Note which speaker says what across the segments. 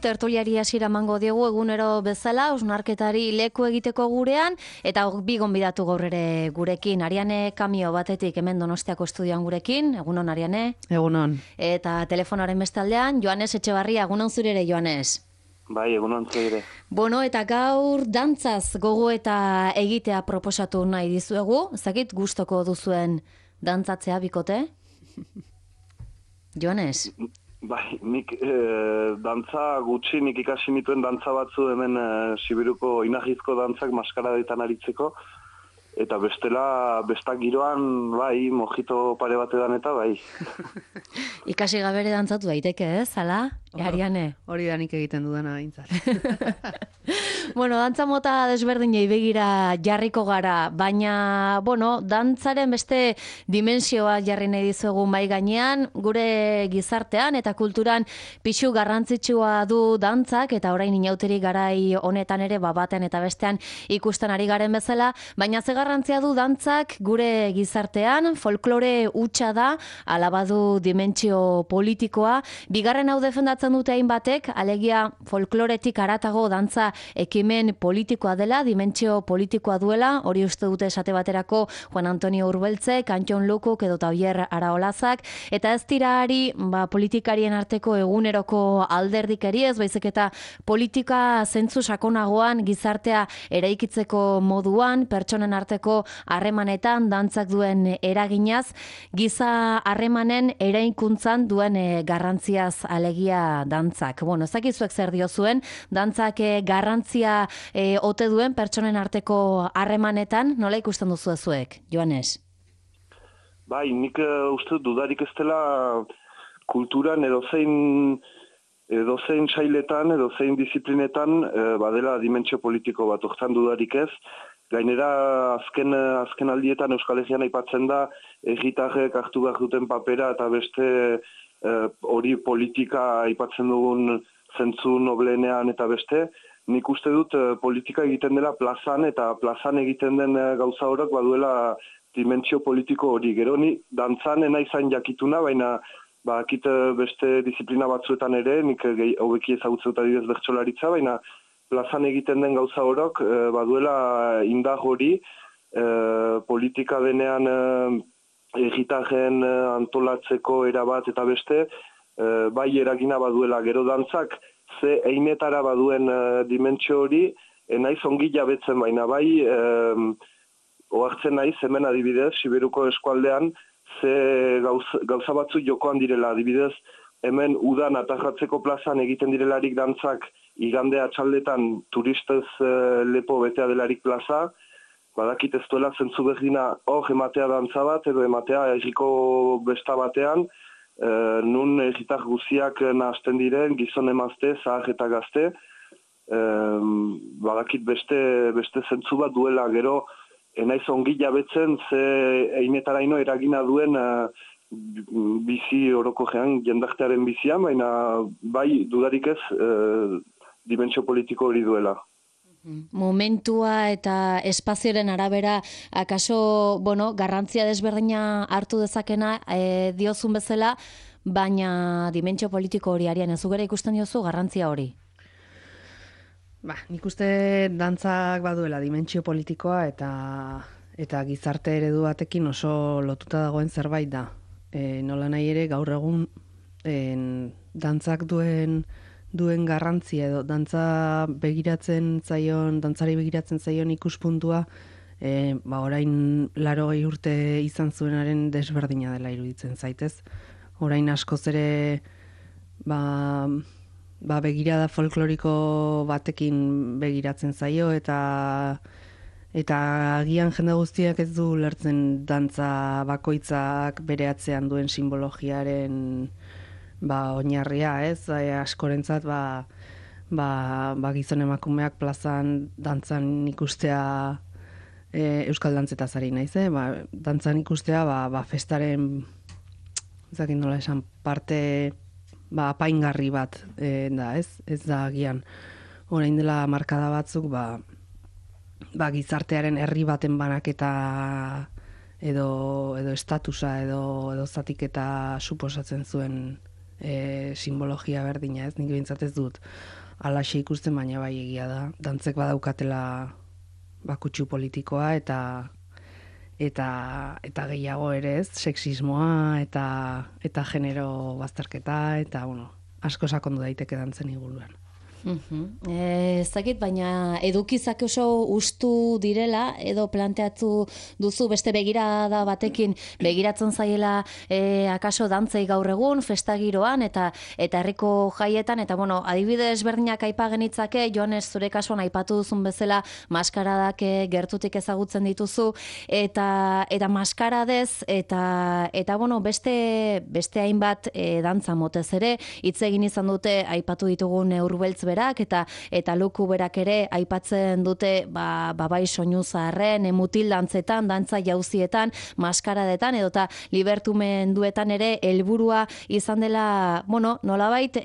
Speaker 1: Tertuliari hasiera emango diogu egunero bezala, hausnarketari leku egiteko gurean, eta bi gonbidatu gaur ere gurekin. Ariane Kamio batetik hemen Donostiako estudioan gurekin, egunon Ariane.
Speaker 2: Egunon.
Speaker 1: Eta telefonaren bestaldean, Joanes Etxebarria, egunon zure ere, Joanes.
Speaker 3: Bai, egunon zure.
Speaker 1: Bueno, eta gaur dantzaz gogo eta egitea proposatu nahi dizuegu. Zakit gustoko duzuen dantzatzea bikote? Joanes?
Speaker 3: Bai, nik dantza gutxi, nik ikasi nituen dantza batzu hemen Sibiruko inahizko dantzak maskaradetan aritzeko, eta bestak giroan, bai, mojito pare batedan eta bai.
Speaker 1: Ikasi gabere dantzatu daiteke, ez, hala? Ariane?
Speaker 2: Hori da nik egiten dudana behintzat.
Speaker 1: Bueno, dantza mota desberdinei begira jarriko gara, baina, bueno, dantzaren beste dimensioa jarri nahi dizuegu mai gainean, gure gizartean eta kulturan pixu garrantzitsua du dantzak, eta orain inauteri garai honetan ere baten eta bestean ikusten ari garen bezala, baina ze garrantzia du dantzak gure gizartean, folklore hutsa da, ala badu dimentsio politikoa, bigarren hau defendatzen dute hainbatek, alegia folkloretik haratago dantza ekimen politikoa dela, dimentsio politikoa duela, hori uste dute esate baterako Juan Antonio Urbeltzek, Antxon Lukuk edo Tabier Araolazak, eta ez tirari politikarien arteko eguneroko alderdikeri ez, baizik eta politika zentzu sakonagoan gizartea eraikitzeko moduan, pertsonen arteko harremanetan dantzak duen eraginaz, giza harremanen eraikuntzan duen garrantziaz alegia dantzak. Bueno, ezakizuek zer diozuen, dantzak garrantzia ote duen pertsonen arteko harremanetan, nola ikusten duzu zuek, Joanes?
Speaker 3: Bai, nik uste dudarik ez dela kulturan edozein sailetan, edozein disiplinetan, badela dimentsio politiko bat, hortan dudarik ez. Gainera, azken aldietan Euskal Herrian aipatzen da, herritarrek hartu behar duten papera eta beste hori politika aipatzen dugun zentzu noblenean eta beste. Nik uste dut politika egiten dela plazan, eta plazan egiten den gauza horrek baduela dimentsio politiko hori. Gero ni dantzan enaizain jakituna, baina bakit beste disiplina batzuetan ere, nik hobeki ezagutzen dut adibidez bertsolaritza, baina plazan egiten den gauza horrek baduela indar hori, politika denean herritarren antolatzeko erabat eta beste, bai eragina baduela. Gero dantzak ze einetara baduen dimentsio hori, naiz ongi jabetzen, baina bai ohartzen naiz hemen adibidez, Siberuko eskualdean, ze gauza batzu jokoan direla, adibidez, hemen udan atajatzeko plazan egiten direlarik dantzak, igande atxaldetan turistez lepo betea delarik plaza, badakit ez duela zentzu berdina hor ematea dantza bat, edo ematea herriko besta batean, nun herritar guziak nahazten diren, gizon emazte, zahar eta gazte, badakit beste zentzu bat duela. Gero, enaiz ongi jabetzen ze einetaraino eragina duen bizi orokojean, jendartearen bizian, baina bai dudarik ez dimentsio politiko hori duela.
Speaker 1: Momentua eta espazioaren arabera, akaso, bueno, garrantzia desberdina hartu dezakena diozun bezala, baina dimentsio politiko hori Ariane, zugera ikusten diozu garrantzia hori?
Speaker 2: Nik uste dantzak baduela dimentsio politikoa eta gizarte eredu batekin oso lotuta dagoen zerbait da. Nola nahi ere gaur egun dantzak duen garrantzia edo dantzari begiratzen zaion ikuspuntua orain 80 urte izan zuenaren desberdina dela iruditzen zaitez. Orain askoz ere begirada folkloriko batekin begiratzen zaio eta agian jende guztiak ez du lertzen dantza bakoitzak bere atzean duen simbologiaren oinarria, ez? Askorentzat gizon emakumeak plazan dantzan ikustea euskal dantzetaz ari naiz, dantzan ikustea festaren ezakin nola esan parte apaingarri bat da, ez? Ez da agian orain dela markada batzuk gizartearen herri baten banaketa edo estatusa edo zatiketa suposatzen zuen simbologia berdina, ez? Nik behintzat ez dut alaxe ikusten, baina bai egia da. Dantzek badaukatela bakutsu politikoa eta gehiago ere ez, sexismoa eta genero bazterketa eta, bueno, asko sakondu daiteke dantzen inguruan.
Speaker 1: Ez dakit, baina edukizak oso ustu direla, edo planteatu duzu beste begirada batekin begiratzen zaiela akaso dantzei gaur egun, festagiroan eta herriko jaietan, eta bueno, adibidez berdinak aipa genitzake, Joanes, zure kasuan aipatu duzun bezala maskaradak gertutik ezagutzen dituzu, eta maskaradez, eta bueno, beste hainbat dantza motez ere, hitz egin izan dute aipatu ditugun Urbeltz berak eta Luku berak ere aipatzen dute bai soinu zaharren, mutil dantzetan, dantza jauzietan, maskaradetan edota libertumenduetan ere helburua izan dela, bueno, nolabait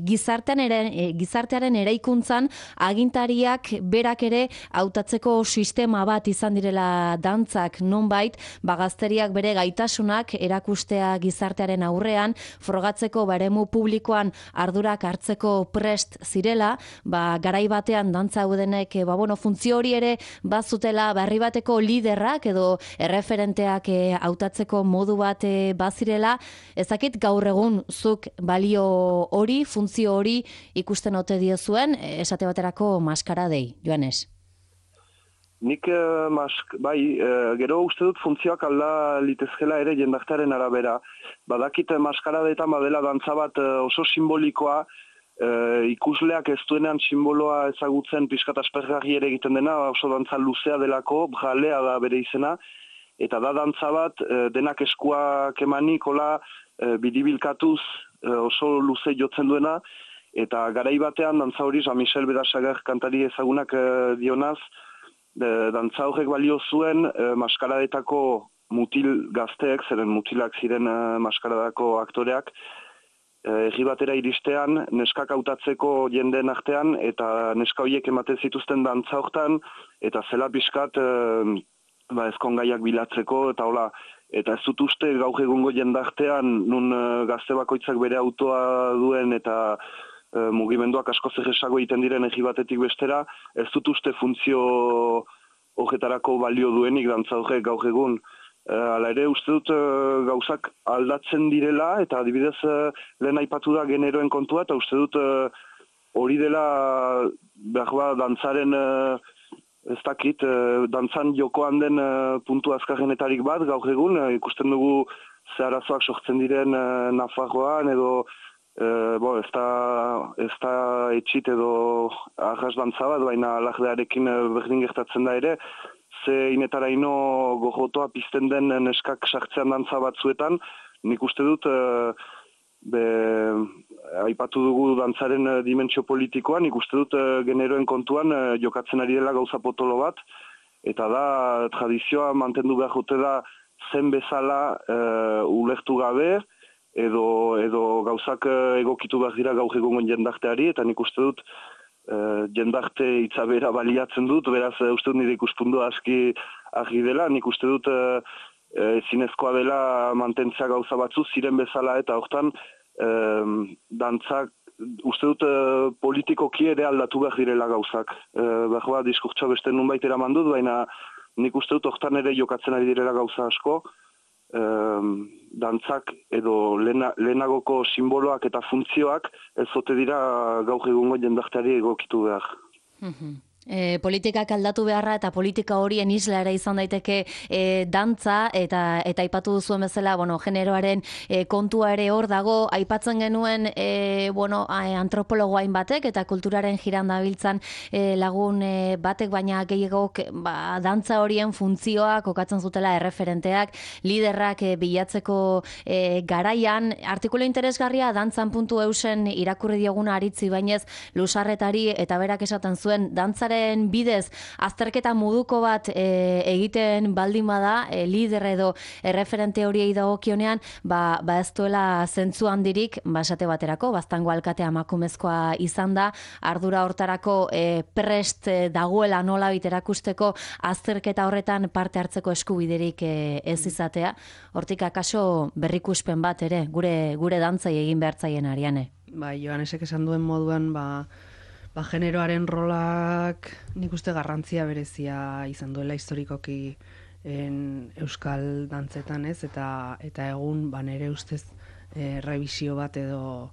Speaker 1: gizartearen eraikuntzan agintariak berak ere hautatzeko sistema bat izan direla dantzak, nonbait gazteriak bere gaitasunak erakustea gizartearen aurrean, frogatzeko eremu publikoan ardurak hartzeko prest zirela, garai batean dantza haudenek funtzio hori ere bazutela, herri bateko liderrak edo erreferenteak hautatzeko modu bat bazirela. Ezakit gaur egun zuk balio hori, funtzio hori ikusten ote diozuen, esate baterako maskaradei, Joanes?
Speaker 3: Nik, gero uste dut funtzioak alda litezkela ere jendartearen arabera. Badakit maskaradetan badela dantza bat oso simbolikoa, ikusleak ez duenean simboloa ezagutzen pixkat aspergarri ere egiten dena, oso dantza luzea delako, jalea da bere izena, eta da dantza bat denak eskuak emanik, hola, biribilkatuz oso luze jotzen duena, eta garai batean dantza hori Jean-Michel Berasager kantari ezagunak dionaz, dantza horrek balio zuen maskaradetako mutil gazteek, zeren mutilak ziren maskaradako aktoreak, herri batera iristean, neskak hautatzeko jendeen artean, eta neska horiek ematen zituzten dantza hortan, eta zela pixkat ezkongaiak bilatzeko, eta hola, eta ez dut uste gaur egungo jendartean, nun gazte bakoitzak bere autoa duen, eta mugimenduak asko zerresago egiten diren herri batetik bestera, ez dut uste funtzio horretarako balio duenik dantza horrek gaur egun. Hala ere, uste dut gauzak aldatzen direla, eta adibidez lehen aipatu da generoen kontua, eta uste dut hori dela dantzaren, ez dakit, dantzan jokoan den puntu azkarrenetarik bat gaur egun, ikusten dugu ze arazoak sortzen diren Nafarroan, edo ez da etxit edo arras dantza bat, baina lagdearekin berdin gertatzen da ere, inetaraino gogotoa pizten den neskak sartzean dantza batzuetan, nik uste dut aipatu dugu dantzaren dimentsio politikoan, nik uste dut generoen kontuan jokatzen ari dela gauza potolo bat, eta da tradizioa mantendu behar jote da zen bezala ulertu gabe, edo gauzak egokitu behar dira gaur egungo jendarteari, eta nik uste dut jendarte itzabera baliatzen dut, beraz uste dut nire ikuspundu aski argi dela, nik uste dut zinezkoa dela mantentzea gauza batzu ziren bezala, eta hortan dantzak uste dut politikoki ere aldatu behar direla gauzak. Diskurtsoa beste nunbait eraman dut, baina nik uste dut hortan ere jokatzen ari direla gauza asko, dantzak edo lehenagoko simboloak eta funtzioak ez zote dira gaur egungo jendarteari egokitu behar.
Speaker 1: Politikak aldatu beharra eta politika horien isla ere izan daiteke dantza eta aipatu duzuen bezala, generoaren kontua ere hor dago, aipatzen genuen antropologoain batek eta kulturaren jiran dabiltzan lagun batek, baina gehiagok dantza horien funtzioa kokatzen zutela erreferenteak, liderrak bilatzeko garaian. Artikulu interesgarria dantzan.eusen irakurri dioguna aritzi bainez Lusarretari, eta berak esaten zuen dantzaren dantzaren bidez azterketa moduko bat egiten baldin bada, lider edo erreferente horiei dagokionean, ba ez duela zentzu handirik, esate baterako, Baztango alkatea emakumezkoa izan da, ardura hortarako prest dagoela nolabait erakusteko azterketa horretan parte hartzeko eskubiderik ez izatea. Hortik akaso berrikuspen bat ere, gure dantzai egin behartzaien Ariane.
Speaker 2: Bai, Joanesek esan duen moduan, generoaren rolak nik uste garrantzia berezia izan duela historikoki euskal dantzetan, ez? Eta egun nere ustez revisio bat edo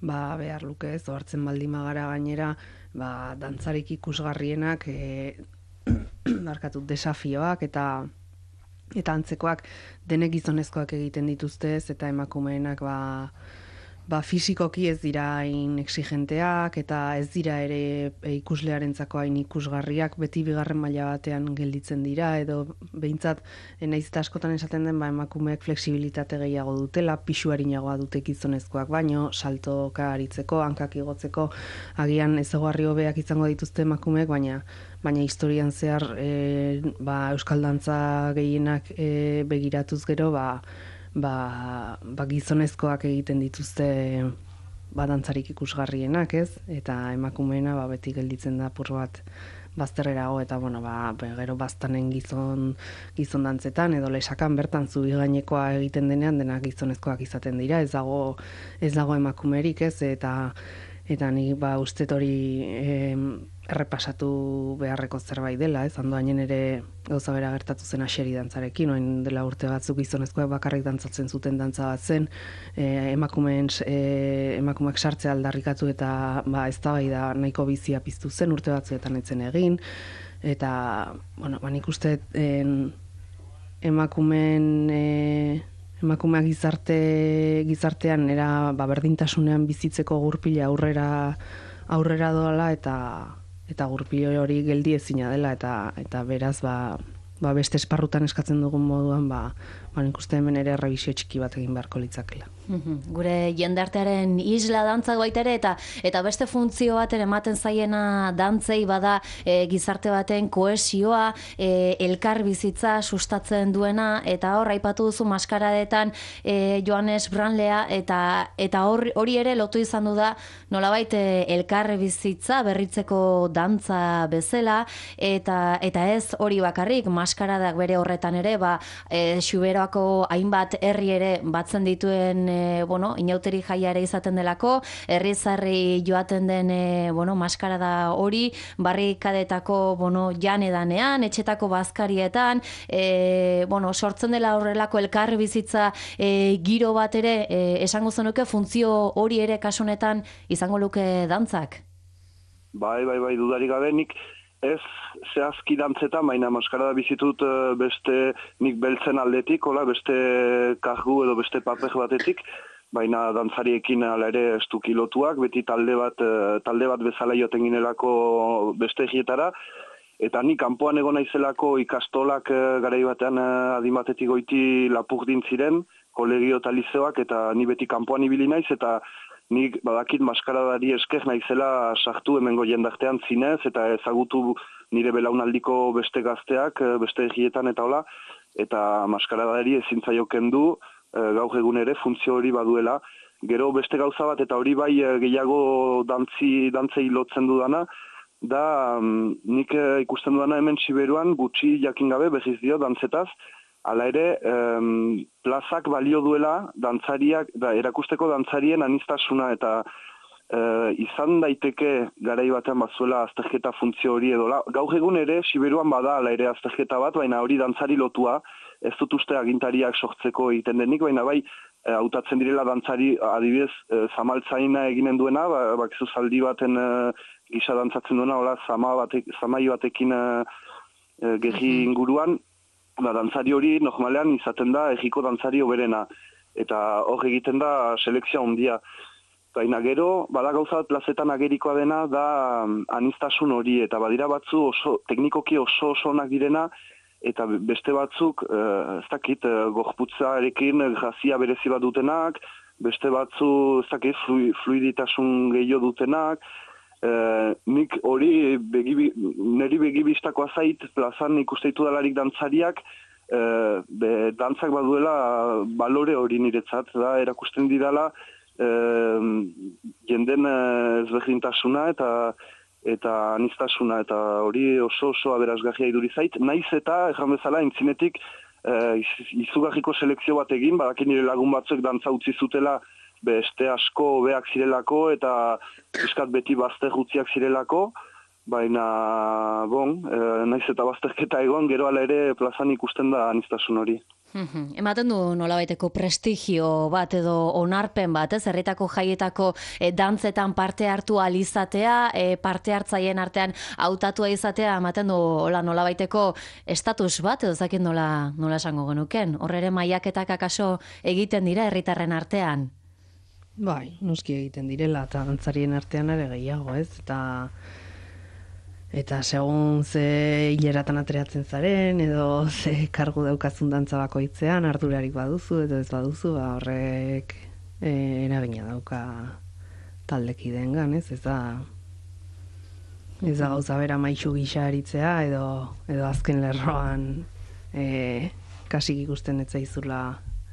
Speaker 2: behar luke, ez? Ohartzen baldin bagara gainera, dantzarik ikusgarrienak desafioak eta antzekoak denek gizonezkoak egiten dituztez, eta emakumeenak fisikoki ez dira hain exigenteak, eta ez dira ere ikuslearentzako hain ikusgarriak, beti bigarren maila batean gelditzen dira, edo behintzat, nahiz eta askotan esaten den, emakumeek flexibilitate gehiago dutela, pisu arinagoa dute gizonezkoak baino, saltoka aritzeko, hankak igotzeko, agian ezaugarri hobeak izango dituzte emakumeek, baina historian zehar euskal dantza gehienak begiratuz gero, gizonezkoak egiten dituzte dantzarik ikusgarrienak, ez? Eta emakumeena beti gelditzen da apur bat bazterrerago, eta gero baztanen gizon dantzetan edo lesakan bertan zubi gainekoa egiten denean denak gizonezkoak izaten dira, ez dago emakumerik, ez? Eta ni ustet hori errepasatu beharreko zerbait dela, ez? Andoainen ere gauza bera gertatu zen Axeri dantzarekin, orain dela urte batzuk gizonezkoak bakarrik dantzatzen zuten dantza bat zen, emakumeak sartzea aldarrikatu eta eztabaida nahiko bizia piztu zen, urte batzuetan etzen egin, eta nik uste emakumeak gizartean era berdintasunean bizitzeko gurpila aurrera doala, eta gurpilo hori geldi ezina dela, eta beraz beste esparrutan eskatzen dugun moduan nik uste hemen ere errebisio txiki bat egin beharko litzakela.
Speaker 1: Gure jendartearen isla dantzak baita ere, eta beste funtzio bat ematen zaiena dantzei bada gizarte baten kohesioa, elkar bizitza sustatzen duena, eta hor aipatu duzu maskaradetan Joanes Branlea, eta hori ere lotu izan du da nolabait elkar bizitza berritzeko dantza bezala, eta ez hori bakarrik, maskaradak bere horretan ere, Xuberoako hainbat herri ere batzen dituen inauteri jaia ere izaten delako, herrizarri joaten den maskarada hori, barrikadetako janedanean, etxetako bazkarietan, sortzen dela horrelako elkar bizitza giro bat ere, esango zenuke funtzio hori ere kasunetan izango luke dantzak?
Speaker 3: Bai, dudarik gabe, nik ez zehazki dantzetan, baina maskarada bizitut beste nik beltzen aldetik, beste kargu edo beste paper batetik, baina dantzariekin ala ere estuki lotuak, beti talde bat bezala joten ginelako beste egietara, eta nik kanpoan egon naizelako ikastolak garai batean adin batetik goiti Lapurdin ziren, kolegio eta lizeoak, eta ni beti kanpoan ibili naiz, eta nik badakit maskaradari esker naizela sartu hemengo jendartean zinez, eta ezagutu nire belaunaldiko beste gazteak, beste egietan eta hola, eta maskaradari ezin zaio kendu, gaur egun ere funtzio hori baduela. Gero beste gauza bat, eta hori bai gehiago dantzei lotzen dudana, da nik ikusten dudana hemen Siberuan gutxi jakin gabe berriz dio dantzetaz, hala ere, plazak balio duela dantzariak, erakusteko dantzarien aniztasuna, eta izan daiteke garai batean bazuela azterketa funtzio hori edo. Gaur egun ere, Siberuan bada hala ere azterketa bat, baina hori dantzari lotua, ez dut uste agintariak sortzeko egiten denik, baina bai, hautatzen direla dantzari, adibidez, zamaltzaina eginen duena, bakizu zaldi baten gisa dantzatzen duena, hola, zamai batekin gehi inguruan, dantzari hori normalean izaten da egiko dantzari oberena, eta hor egiten da selekzioa handia. Baina gero, bada gauza bat plazetan agerikoa dena da aniztasun hori, eta badira batzu teknikoki oso onak direna, eta beste batzuk, ez dakit, gorputzarekin grazia berezi bat dutenak, beste batzu, ez dakit, fluiditasun gehiago dutenak, nik hori niri begibistakoa zait plazan ikusteitu dalarik dantzariak, dantzak baduela balore hori niretzat, da, erakusten didala jenden ezberdintasuna eta anistasuna, eta hori oso aberasgarria iduri zait, naiz eta, erran bezala, intzinetik, izugarriko selekzio bat egin, badakin nire lagun batzuek dantza utzi zutela, beste asko hobeak zirelako, eta piskat beti bazter gutziak zirelako, baina, naiz eta bazterketa egon, gero ala ere plazan ikusten da anistasun hori.
Speaker 1: Ematen du nolabaiteko prestigio bat edo onarpen bat, herritako jaietako dantzetan parte hartu alizatea, parte hartzaien artean hautatua izatea, ematen du nolabaiteko estatus bat, edo zakin nola esango genuken. Hor ere mailaketak akaso egiten dira herritarren artean?
Speaker 2: Bai, noski egiten direla, eta dantzarien artean ere gehiago, ez? Eta segun ze hileratan ateratzen zaren, edo ze kargu daukazun dantza bakoitzean, ardurarik baduzu, edo ez baduzu, horrek eragina dauka taldekideengan, ez? Ez da gauza bera maixu gisa aritzea, edo azken lerroan kasik ikusten ez zaizula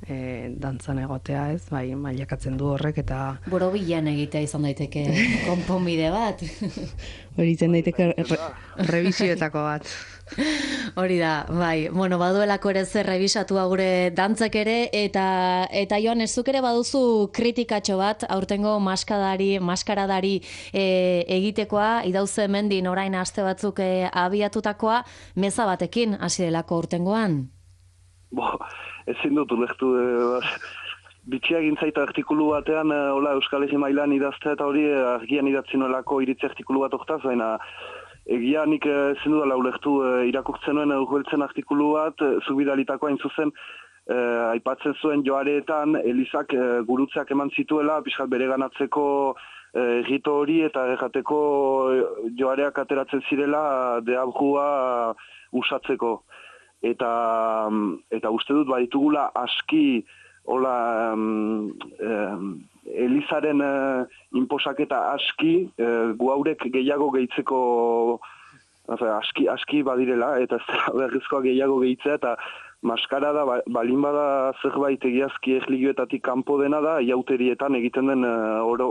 Speaker 2: dantzan egotea, ez? Bai, mailakatzen du horrek, eta
Speaker 1: borobilan egitea izan daiteke konponbide bat.
Speaker 2: Hori izan daiteke revisioetako bat.
Speaker 1: Hori da, bai. Bueno, baduelako ere zer revisatua gure dantzak ere, eta Joan, zuk ere baduzu kritikatxo bat, aurtengo maskaradari egitekoa, idauze mendin orain aste batzuk abiatutakoa, meza batekin hasi delako aurtengoan?
Speaker 3: Ezin dut ulektu, bitxia gintzaita artikulu batean, Euskal Herri mailan idaztea, eta hori argian idatzi nolako iritzi artikulu bat oktaz, baina egia nik ezin dudala ulektu irakurtzen nuen urbiltzen artikulu bat, zubidalitakoa hain zuzen, aipatzen zuen joareetan, Elizak gurutzeak eman zituela, pixkat bere ganatzeko egito hori, eta errateko joareak ateratzen zirela deabrua usatzeko. Eta uste dut baditugula aski Elizaren inposaketa aski gu haurek gehiago gehitzeko aski badirela, eta ez da berrizkoa gehiago gehitzea, eta maskarada balin bada zerbait egiazki erligioetatik kanpo dena da, iauterietan egiten den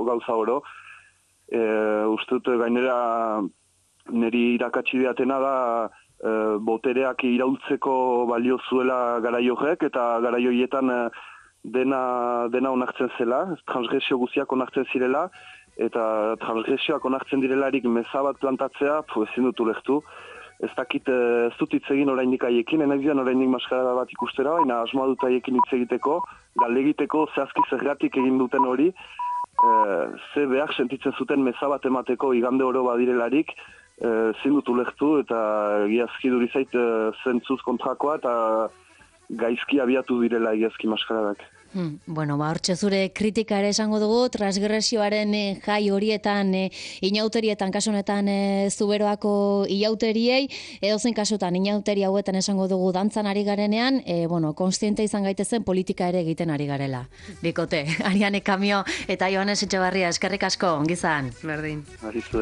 Speaker 3: gauza oro. Uste dut gainera niri irakatsi diatena da botereak iraultzeko balio zuela garaioek, eta garaioietan dena onartzen zela, transgresio guziak onartzen zirela, eta transgresioak onartzen direlarik meza bat plantatzea, ezin dut ulektu. Ez dakit ez dut hitz egin oraindik haiekin, enaiz dian oraindik maskarada bat ikustera, baina asmoa dut haiekin hitz egiteko, galdegiteko zehazki zergatik egin duten hori, ze behar sentitzen zuten meza bat emateko igande oro badirelarik, ezin dut ulektu, eta egiazki duri zait zentzuz kontrakoa, eta gaizki abiatu direla egiazki maskaradak.
Speaker 1: Bueno, hortxe zure kritika ere esango dugu, transgresioaren jai horietan, inauterietan, kasu honetan Zuberoako inauteriei, edozein kasutan inauteri hauetan esango dugu dantzan ari garenean, konstiente izan gaitezen politika ere egiten ari garela. Bikote, Ariane Kamio eta Joanes Etxebarria, eskerrik asko, ongizan.
Speaker 2: Berdin.
Speaker 3: Arizu